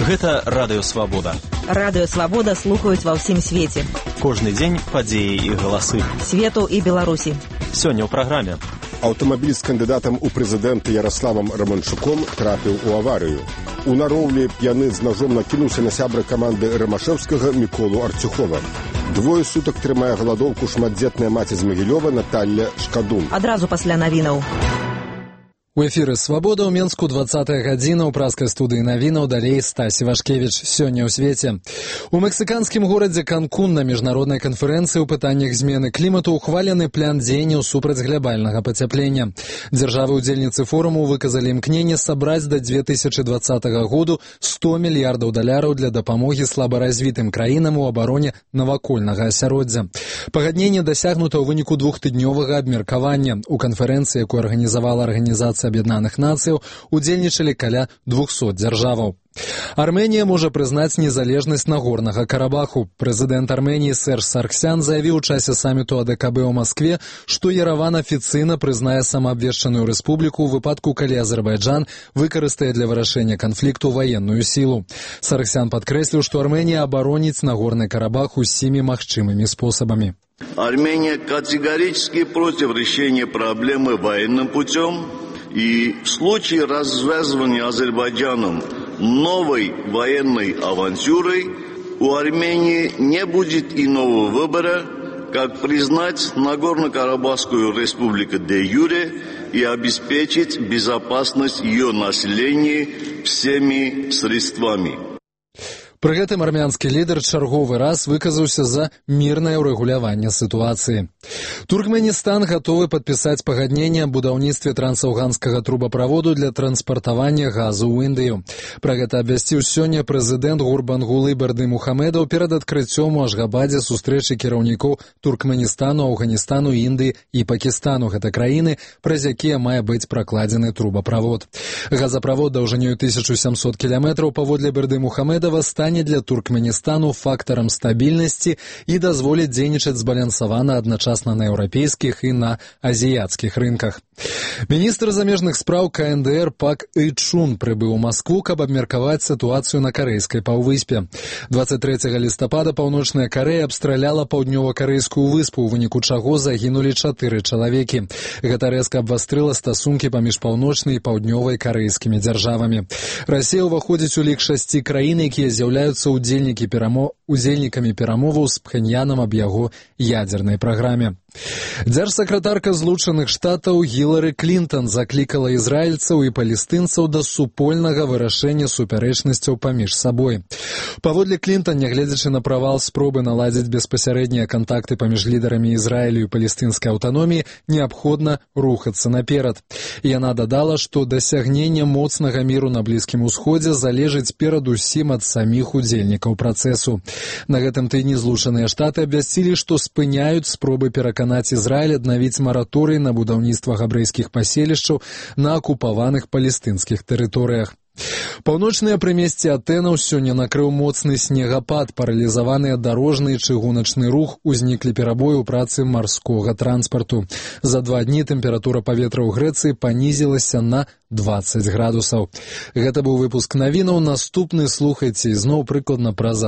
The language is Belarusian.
Гэта Радыё Свабода. Радыё Свабода слухаюць ва ўсім свеце. Кожны дзень падзеі і галасы. Свету і Беларусі. Сёння ў праграме. Аўтамабіль з кандыдатам у прэзідэнты Яраславам Раманчуком трапіў у аварыю. У нароўлі п'яны з ножом накінуўся на сябра каманды Рымашэўскага Міколу Арцюхова. Двое сутак трымае галадоўку шматдзетная маці з Магілёва Наталля Шкадун. Адразу пасля навінаў. У эфіры «Свабода» ў Менску 20-я гадзіна ў праскай студыі навінаў, далей Стасі Вашкевіч. Сёння ў свеце. У мексіканскім горадзе Канкун на міжнароднай канферэнцыі ў пытаннях змены клімату ухвалены план дзеянняў супраць глобальнага пацяплення. Дзяржавы-удзельніцы форуму выказалі імкненне сабраць да 2020 году $100 мільярдаў для дапамогі слабаразвітым краінам у абароне навакольнага асяроддзя. Пагадненне дасягнута ў выніку двухтыднёвага абмеркавання. У канферэнцыі, якую арганізавала Арганізацыя Аб'яднаных Нацыяў, удзельнічалі каля 200 дзяржаваў. Арменія можа прызнаць незалежнасць Нагорнага Карабаху. Прэзідэнт Арменіі Серж Сарксян заявіў у часе саміту АДКБ ў Маскве, што Ерэван афіцыйна прызнае самаабвешчаную рэспубліку ў выпадку, калі Азербайджан выкарыстае для вырашэння канфлікту ваенную сілу. Сарксян падкрэсліў, што Арменія абароніць Нагорны Карабах усімі магчымымі спосабамі. Армения категорически против решения проблемы военным путем, и в случае развязывания Азербайджаном новой военной авантюрой у Армении не будет иного выбора, как признать Нагорно-Карабахскую республику де-юре и обеспечить безопасность ее населения всеми средствами. Пры гэтым армянскі лідар чарговы раз выказаўся за мірнае ўрэгуляванне сітуацыі. Туркменістан гатовы падпісаць пагадненне аб будаўніцтве трансаўганскага трубаправоду для транспартавання газу ў Індыю. Пра гэта абвясціў сёння прэзідэнт Гурбангулы Бердымухамедаў перад адкрыццём у Ашгабадзе сустрэчы кіраўнікоў Туркменістану, Афганістану, Індыі і Пакістану. Гэта краіны, праз якія мае быць пракладзены трубаправод. Газаправод даўжынёй 1700 кіламетраў паводле Бердымухамедава стане для Туркменістану фактарам стабільнасці і дазволіць дзейнічаць збалансавана адначасна на еўрапейскіх і на азіяцкіх рынках. Міністр замежных спраў КНДР Пак Ы Чун прыбыў у Маскву, каб абмеркаваць сітуацыю на карэйскай паўвыспе. 23 лістапада Паўночная Карэя абстраляла паўднёва-карэйскую выспу, у выніку чаго загінулі 4 чалавекі. Гэта рэзка абвастрыла стасункі паміж паўночнай і паўднёвай карэйскімі дзяржавамі. Расія ўваходзіць у лік 6 краін, якія з'яўляюцца удзельнікамі перамоваў з Пхеньянам аб яго ядзернай праграме. Дзяржсакратарка Злучаных Штатаў Гілары Клінтон заклікала ізраільцаў і палестынцаў да супольнага вырашэння супярэчнасцяў паміж сабой. Паводле Клінтон, нягледзячы на правал спробы наладзіць беспасярэднія кантакты паміж лідарамі Ізраілю і палестынскай аўтаноміі, неабходна рухацца наперад. Яна дадала, што дасягненне моцнага міру на Блізкім Усходзе залежыць перадусім ад саміх удзельнікаў працэсу. На гэтым тыдні Злучаныя Штаты абвясцілі, што спыняюць спробы пераканаць Ізраіль аднавіць мараторый на будаўніцтва габрэйскіх паселішчаў на акупаваных палестынскіх тэрыторыях. Паўночныя прымесці Атэнаў сёння накрыў моцны снегапад, паралізаваны дарожны і чыгуначны рух, узніклі перабоі ў працы марскога транспарту. За 2 дні тэмпература паветра ў Грэцыі панізілася на 20 градусаў. Гэта быў выпуск навінаў. Наступны слухайце ізноў прыкладна праз